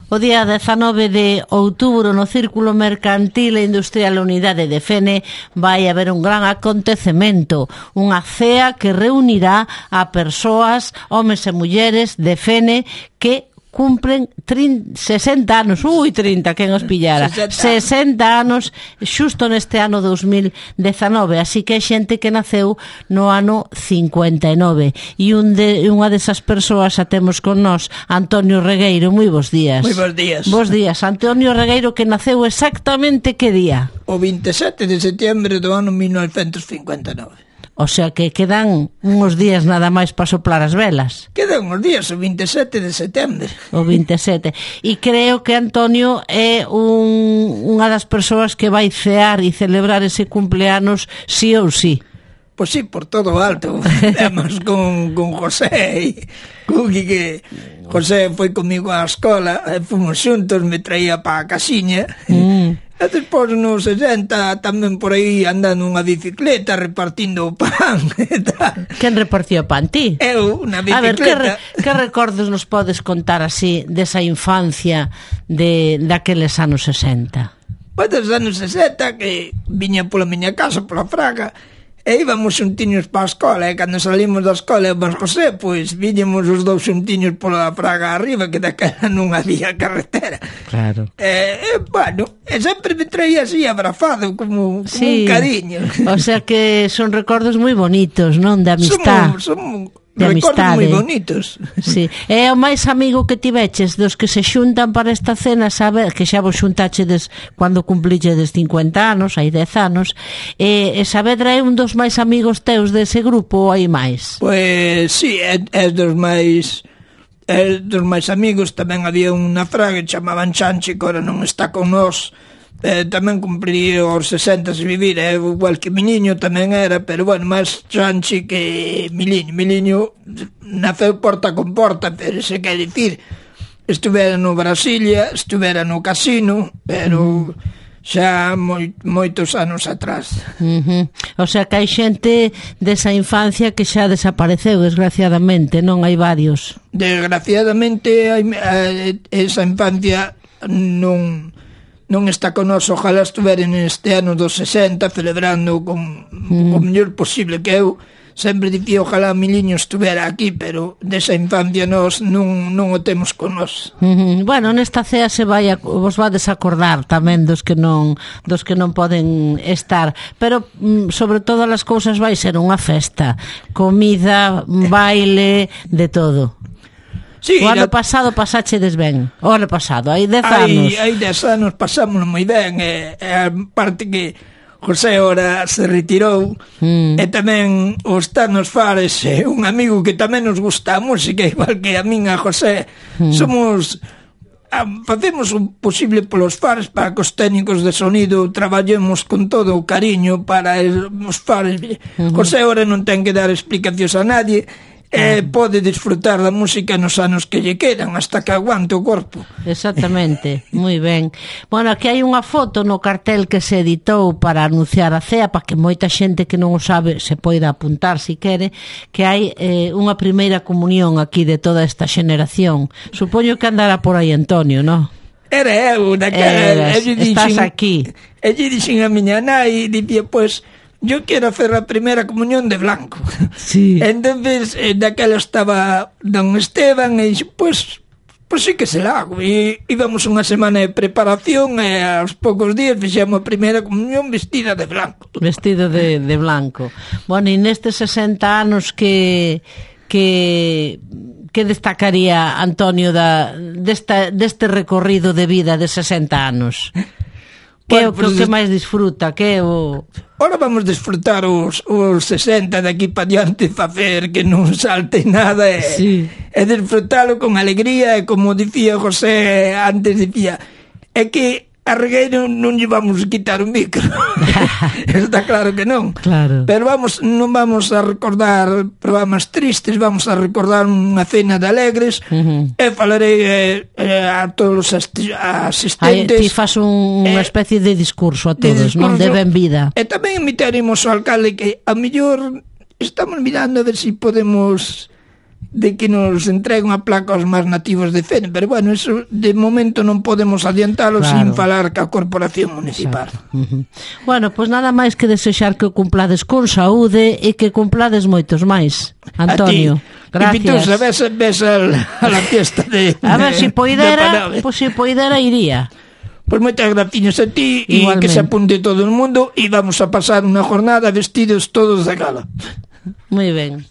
O día 19 de outubro no Círculo Mercantil e Industrial Unidade de Fene vai haber un gran acontecemento, unha cea que reunirá a persoas, homes e mulleres de Fene que cumpren 60 anos, 30, quen os pillara, 60 anos xusto neste ano 2019, así que é xente que naceu no ano 59 e unha desas persoas a temos con nós, Antonio Regueiro. Moi bons días. Moi bons días. Bos días, Antonio Regueiro, que naceu exactamente que día? O 27 de setembro do ano 1959. O sea que quedan uns días nada máis para soplar as velas. Quedan uns días, o 27 de setembro. O 27. E creo que Antonio é unha das persoas que vai cear e celebrar ese cumpleanos sí ou sí. Pois sí, por todo o alto. Además con José, con que José foi comigo á escola, fomos xuntos, me traía pa a casiña. E despois nos 60 tamén por aí andando unha bicicleta repartindo o pan e tal. Quen repartía o pan, ti? Eu, na A ver, bicicleta. que recordos nos podes contar así desa infancia daqueles anos 60? Pois dos anos 60 que viña pola miña casa, pola Fraga, e íbamos xuntiños para a escola, e cando salimos da escola e José, pois viñemos os dous xuntiños pola Fraga arriba, que daquela non había carretera. Claro. Bueno, sempre me traía así abrazado, como sí, un cariño. O sea que son recordos moi bonitos, non? De amistad. Son de recordos amistade. moi bonitos. Sí. É o máis amigo que tiveches dos que se xuntan para esta cena, saber que xa vos xuntachedes cando cumplíchedes 50 anos, hai 10 anos, e Saavedra é un dos máis amigos teus dese grupo ou hai máis? Pois sí, é dos máis amigos. Tamén había unha Fraga que chamaban Chanchi, que ora non está con nós. Tamén cumpliría os 60 se vivir, igual que Miliño tamén era, pero bueno, máis Chanchi que Miliño naceu porta con porta, pero se quer dicir, estuvera no Brasilia, estuvera no casino, pero xa moitos anos atrás. O sea que hai xente desa infancia que xa desapareceu, desgraciadamente, non? Hai varios. Desgraciadamente esa infancia non está con nós. Ojalá estuveren neste ano dos 60 celebrando con o mellor posible, que eu sempre dicía ojalá Miliño estuvera aquí, pero desa infancia nós non o temos con nós. Bueno, nesta cea vos vades acordar tamén dos que non poden estar, pero sobre todas as cousas vai ser unha festa, comida, baile, de todo. Sí, o ano pasado pasáchedes ben. O ano pasado, hai 10 anos. Hai 10 anos pasámoslo moi ben. A parte que José ora se retirou, e tamén o está nos Fares, un amigo que tamén nos gusta a música, igual que a min, a José. Facemos o posible polos Fares para que os técnicos de sonido traballemos con todo o cariño para os Fares. José ora non ten que dar explicacións a nadie, pode disfrutar da música nos anos que lle quedan, hasta que aguante o corpo. Exactamente, moi ben. Bueno, aquí hai unha foto no cartel que se editou para anunciar a cea, para que moita xente que non o sabe se poida apuntar se quere, que hai unha primeira comunión aquí de toda esta xeneración. Supoño que andará por aí Antonio, non? Era eu, daquela. Estás aquí. E lle dixen a miña nai, dicía, pois, yo quero hacer a primeira comunión de blanco. Sí. Entonces, daquela estaba don Esteban e dixo, pois sí que se la hago. E íbamos unha semana de preparación e aos poucos días fixemos a primeira comunión vestida de blanco. Vestido de blanco. Bueno, e nestes 60 anos que destacaría Antonio deste recorrido de vida de 60 anos? Que é o que máis disfruta? Que é o... Ora vamos disfrutar os 60 de aquí para diante, facer que non salte nada e disfrutalo con alegría. E como dicía José antes, dicía, é que a Regueiro non lle vamos quitar o micro. Está claro que non. Claro. Pero non vamos a recordar programas tristes, vamos a recordar unha cena de alegres, e falarei a todos os asistentes. Ti fas unha especie de discurso a todos, non? De benvida. E tamén invitaremos ao alcalde, que a mellor estamos mirando a ver se podemos de que nos entreguen a placa aos máis nativos de Fene, pero bueno, eso de momento non podemos adiantalo sin falar ca Corporación Municipal. Bueno, pois nada máis que desexar que o cumplades con saúde e que cumplades moitos máis, Antonio. Gracias. Y Pitosa, ves a la fiesta de a ver, si poidera, pois si poidera iría. Pois moitas graciñas a ti e que se apunte todo o mundo e vamos a pasar unha jornada vestidos todos de gala. Moi ben.